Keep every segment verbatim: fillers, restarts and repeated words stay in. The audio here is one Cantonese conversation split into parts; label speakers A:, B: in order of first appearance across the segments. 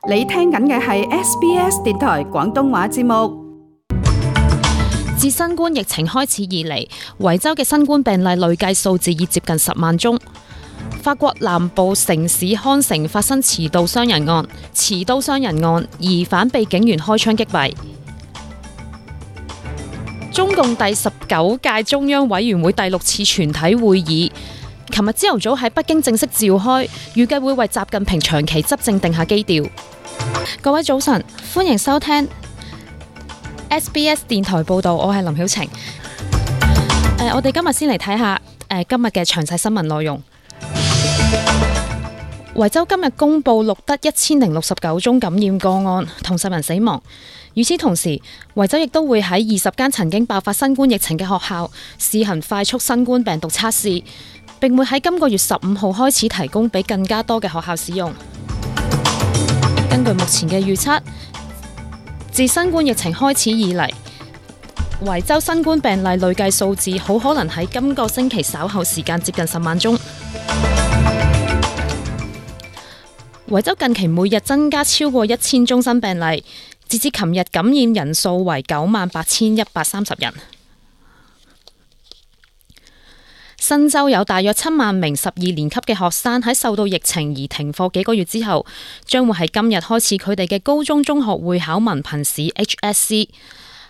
A: 你聽緊嘅係 S B S 電台廣東話節目。
B: 自新冠疫情開始以嚟，維州嘅新冠病例累計數字已接近十萬宗。法國南部城市康城發生持刀傷人案，持刀傷人案疑犯被警員開槍擊斃。中共第十九屆中央委員會第六次全體會議琴日朝頭早喺北京正式召開，預計會為習近平長期執政定下基調。各位早晨，歡迎收聽 S B S 電台報道，我係林曉晴。呃、我哋今日先嚟睇下、呃、今日嘅詳細新聞內容。維州今日公布錄得一千零六十九宗感染個案，同十人死亡。與此同時，維州亦都會喺二十間曾經爆發新冠疫情嘅學校試行快速新冠病毒測試，並會喺今個月十五號開始提供俾更加多嘅學校使用。根據目前嘅預測，自新冠疫情開始以嚟，維州新冠病例累計數字好可能喺今個星期稍後時間接近十萬宗。維州近期每日增加超過一千宗新病例，截至琴日感染人數為九萬八千一百三十人。新州有大約七萬名十二年級嘅學生喺受到疫情而停課幾個月之後，將會喺今日開始佢哋嘅高中中學會考文憑試 H S C。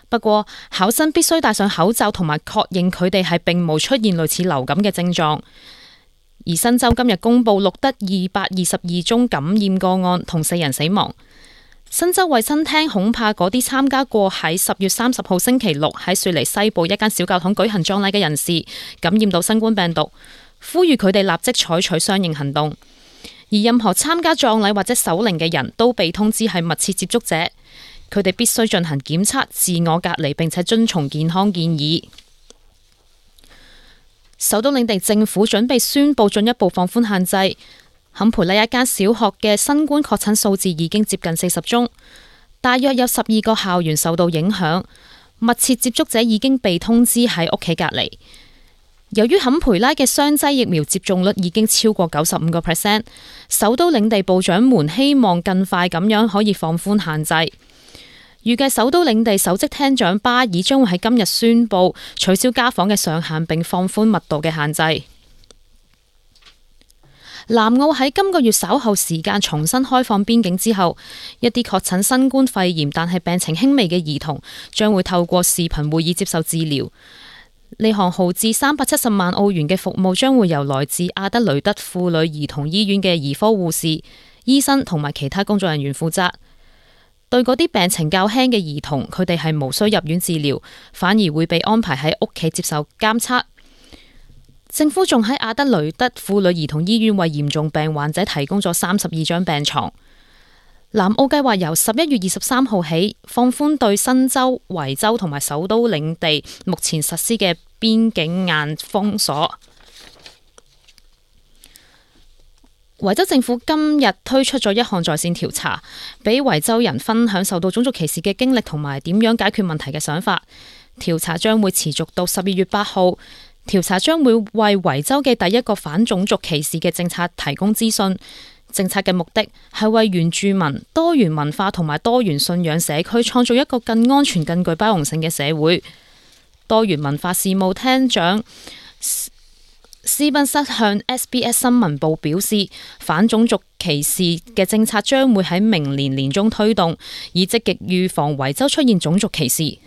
B: 不過，考生必須戴上口罩同埋確認佢哋係並冇出現類似流感嘅症狀。而新州今日公布錄得二百二十二宗感染個案，同四人死亡。新州衛生廳恐怕嗰啲參加過喺十月三十號星期六喺雪梨西部一間小教堂舉行葬禮嘅人士感染到新冠病毒，呼籲佢哋立即採取相應行動。而任何參加葬禮或者守靈嘅人都被通知係密切接觸者，佢哋必須進行檢測、自我隔離，並且遵從健康建議。首都領地政府準備宣布進一步放寬限制。坎培拉一間小學嘅新冠確診數字已經接近四十宗，大約有十二個校園受到影響，密切接觸者已經被通知喺屋企隔離。由於坎培拉嘅雙劑疫苗接種率已經超過九十五個 percent， 首都領地部長們希望更快咁樣可以放寬限制。預計首都領地首席廳長巴爾將會喺今日宣布取消家訪嘅上限，並放寬密度嘅限制。南澳喺今個月稍後時間重新開放邊境之後，一啲確診新冠肺炎但係病情輕微嘅兒童將會透過視頻會議接受治療。呢項耗資三百七十萬澳元嘅服務將會由來自阿德雷德婦女兒童醫院嘅兒科護士、醫生同埋其他工作人員負責。對嗰啲病情較輕嘅兒童，佢哋係無需入院治療，反而會被安排喺屋企接受監測。政府仲喺阿德雷德婦女兒童醫院為嚴重病患者提供咗三十二張病床。南澳計劃由十一月二十三號起放寬對新州、維州同埋首都領地目前實施嘅邊境硬封鎖。維州政府今日推出咗一項在線調查，俾維州人分享受到種族歧視嘅經歷同埋點樣解決問題嘅想法。調查將會持續到十二月八號。調查將會為維州嘅第一個反種族歧視嘅政策提供資訊。政策嘅目的係為原住民、多元文化同埋多元信仰社區創造一個更安全、更具包容性嘅社會。多元文化事務廳長斯賓塞向 S B S 新聞部表示，反種族歧視嘅政策將會喺明年年中推動，以積極預防維州出現種族歧視。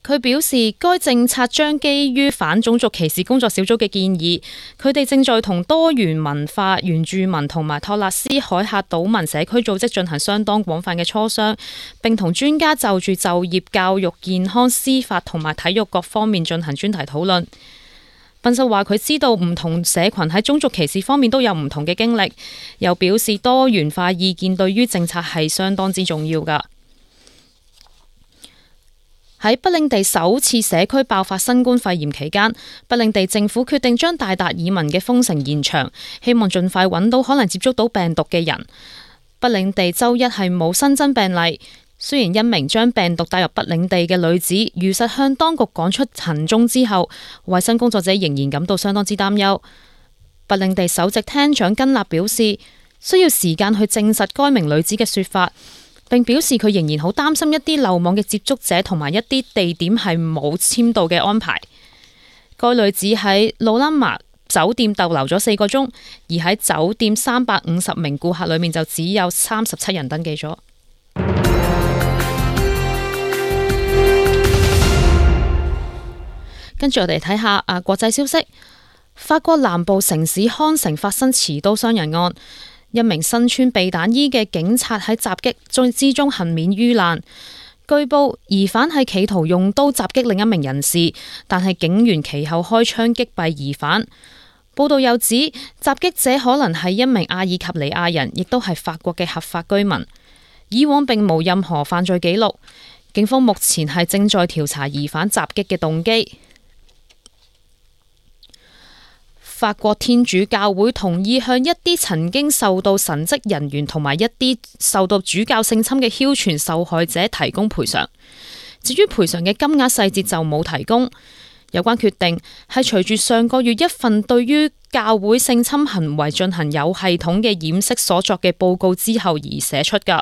B: 佢表示，該政策將基於反種族歧視工作小組嘅建議，佢哋正在同多元文化、原住民同埋托勒斯海峽島民社區組織進行相當廣泛嘅磋商，並同專家就住就業、教育、健康、司法同埋體育各方面進行專題討論。賓瑟話佢知道唔同社群喺種族歧視方面都有唔同嘅經歷，又表示多元化意見對於政策係相當之重要㗎。喺北領地首次社區爆發新冠肺炎期間，北領地政府決定將大達爾文嘅封城延長，希望盡快揾到可能接觸到病毒嘅人。北領地周一係冇新增病例，雖然一名將病毒帶入北領地嘅女子如實向當局講出行蹤之後，衛生工作者仍然感到相當之擔憂。白領地首席廳長根納表示，需要時間去證實該名女子嘅說法，並表示佢仍然好擔心一啲漏網嘅接觸者同埋一啲地點係冇簽到嘅安排。該女子喺魯拉瑪酒店逗留咗四個鐘，而喺酒店三百五十名顧客裏面就只有三十七人登記咗。跟住我哋睇下啊國際消息，法國南部城市康城發生持刀傷人案，一名身穿避彈衣嘅警察喺襲擊中之中幸免於難。據報疑犯係企圖用刀襲擊另一名人士，但係警員其後開槍擊斃疑犯。報道又指襲擊者可能係一名阿爾及利亞人，亦都係法國嘅合法居民，以往並無任何犯罪記錄。警方目前係正在調查疑犯襲擊嘅動機。法國天主教會同意向一啲曾經受到神職人員同埋一啲受到主教性侵嘅哮傳受害者提供賠償。至於賠償嘅金額細節就冇提供。有關決定係隨住上個月一份對於教會性侵行為進行有系統嘅掩飾所作嘅報告之後而寫出㗎。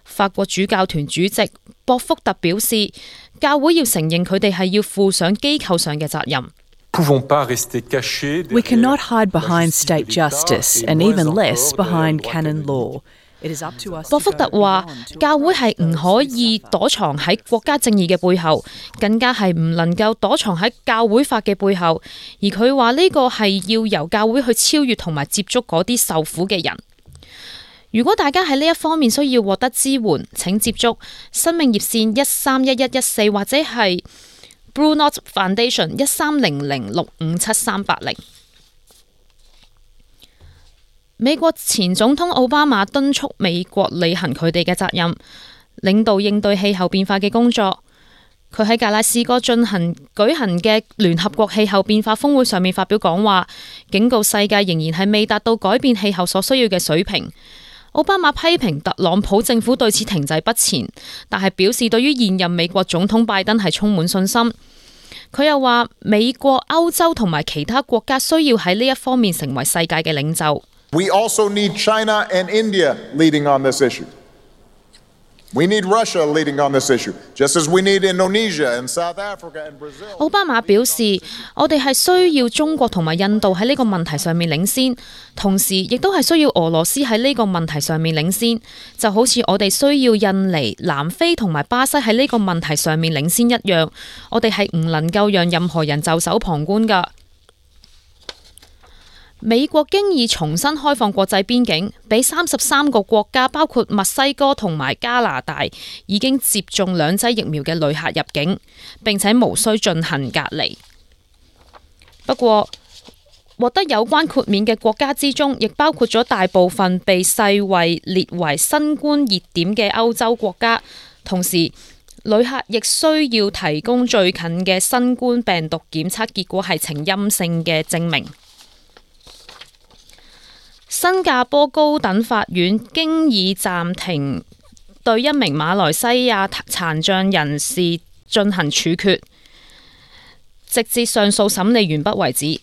B: 法國主教團主席博福特表示，教會要承認佢哋係要負上機構上嘅責任。
C: We cannot hide behind state justice, and even less behind canon law. It is up to us.
B: 博福特話，教會係唔可以躲藏喺國家正義嘅背後，更加係唔能夠躲藏喺教會法嘅背後。而佢話呢個係要由教會去超越同埋接觸嗰啲受苦嘅人。如果大家喺呢一方面需要獲得支援，請接觸生命熱線一三一一一四或者係Blue Knot Foundation 一三零零六五七三八零。美國前總統奧巴馬敦促美國履行佢哋嘅責任，領導應對氣候變化嘅工作。佢喺格拉斯哥進行舉行嘅聯合國氣候變化峰會上面發表講話，警告世界仍然係未達到改變氣候所需要嘅水平。奧巴馬批評特朗普政府對此停滯不前，但係表示對於現任美國總統拜登係充滿信心。佢又話美國、歐洲同埋其他國家需要喺呢一方面成為世界嘅領袖。
D: We also need China and India leading on this issue. We need Russia leading on this issue, just as we need Indonesia and South Africa and Brazil.
B: 奧巴馬表示，我哋係需要中國同埋印度喺呢個問題上面領先，同時亦都係需要俄羅斯喺呢個問題上面領先，就好似我哋需要印尼、南非同埋巴西喺呢個問題上面領先一樣。我哋係唔能夠讓任何人袖手旁觀㗎。美國經已重新開放國際邊境，俾三十三個國家，包括墨西哥同埋加拿大，已經接種兩劑疫苗嘅旅客入境，並且無需進行隔離。不過，獲得有關豁免嘅國家之中，亦包括咗大部分被世衛列為新冠熱點嘅歐洲國家。同時，旅客亦需要提供最近嘅新冠病毒檢測結果係呈陰性嘅證明。新加坡高等法院經已暫停對一名馬來西亞殘障人士進行處決，直至上訴審理完畢為止。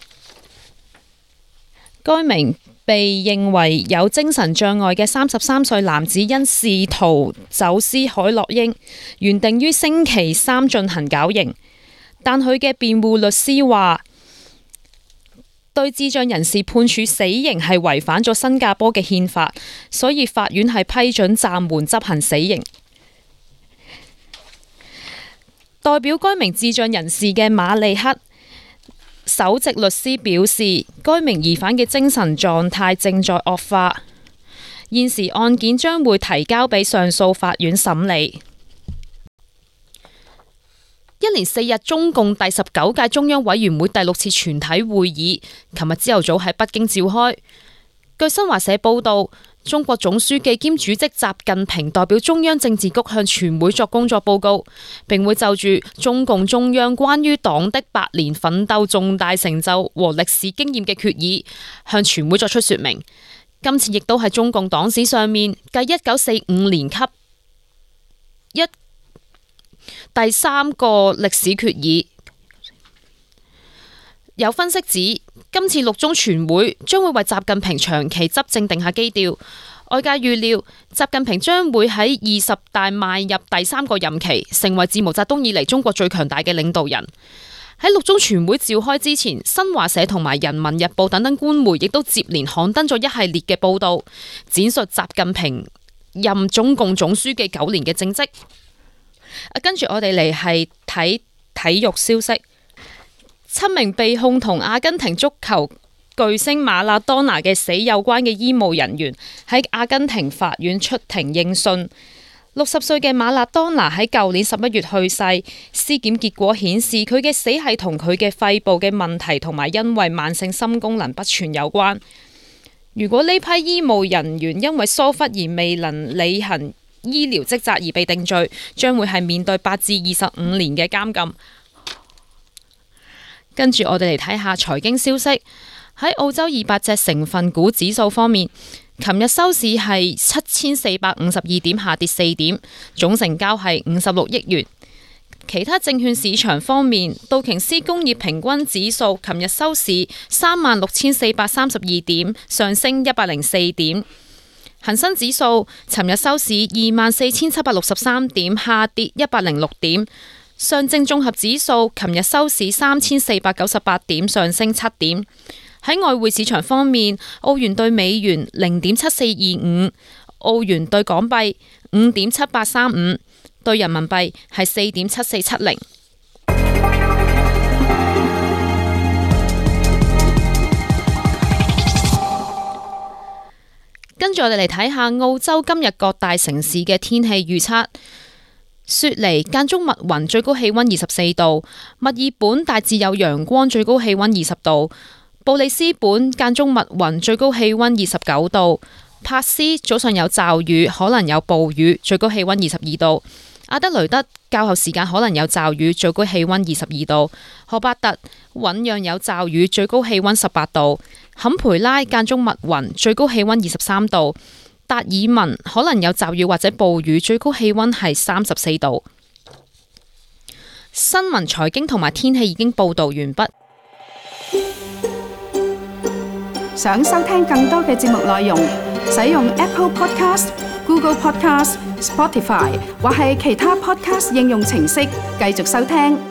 B: 該名被認為有精神障礙嘅三十三歲男子因試圖走私海洛因，原定於星期三進行絞刑，但佢嘅辯護律師話，對智障人士判處死刑係違反咗新加坡嘅憲法，所以法院係批准暫緩執行死刑。代表該名智障人士嘅馬利克首席律師表示，該名疑犯嘅精神狀態正在惡化，現時案件將會提交俾上訴法院審理。一連四日，中共第十九屆中央委員會第六次全體會議，琴日朝頭早喺北京召開。據新華社報道，中國總書記兼主席習近平代表中央政治局向全會作工作報告，並會就住中共中央關於黨的百年奮鬥重大成就和歷史經驗嘅決議，向全會作出說明。今次亦都係中共黨史上面繼一九四五年級一第三個歷史決議。有分析指，今次六中全會將會為習近平長期執政定下基調。外界預料，習近平將會喺二十大邁入第三個任期，成為自毛澤東以嚟中國最強大嘅領導人。喺六中全會召開之前，新華社同埋人民日報等等官媒亦都接連刊登咗一系列嘅報道，展述習近平任中共總書記九年嘅政績。跟住我哋嚟係睇體育消息，七名被控同阿根廷足球巨星馬拉多納嘅死有關嘅醫務人員喺阿根廷法院出庭應訊。六十歲嘅馬拉多納喺舊年十一月去世，屍檢結果顯示佢嘅死係同佢嘅肺部嘅問題同埋因為慢性心功能不全有關。如果呢批醫務人員因為疏忽而未能履行醫療職責而被定罪，將會係面對八至二十五年嘅監禁。跟住我哋嚟睇下財經消息。喺澳洲二百隻成分股指數方面，琴日收市係七千四百五十二點，下跌四點，總成交係五十六億元。其他證券市場方面，道瓊斯工業平均指數琴日收市三萬六千四百三十二點，上升一百零四點。恒生指數尋日收市二萬四千七百六十三點，下跌一百零六點。上證綜合指數琴日收市三千四百九十八點，上升七點。喺外匯市場方面，澳元兌美元零點七四二五，澳元兌港幣五點七八三五，兌人民幣係四點七四七零。跟住我哋嚟睇下澳洲今日各大城市嘅天氣預測。雪梨間中密雲，最高氣溫二十四度；墨爾本大致有陽光，最高氣溫二十度；布里斯本間中密雲，最高氣溫二十九度；珀斯早上有驟雨，可能有暴雨，最高氣溫二十二度；阿德雷德較後時間可能有驟雨，最高氣溫二十二度；荷伯特醞釀有驟雨，最高氣溫十八度；坎培拉間中密雲，最高氣溫二十三度；達爾文可能有驟雨或者暴雨，最高氣溫係三十四度。新聞、財經同埋天氣已經報道完畢。
A: 想收聽更多嘅節目內容，使用 Apple Podcast、Google Podcast、Spotify 或係其他 Podcast 應用程式繼續收聽。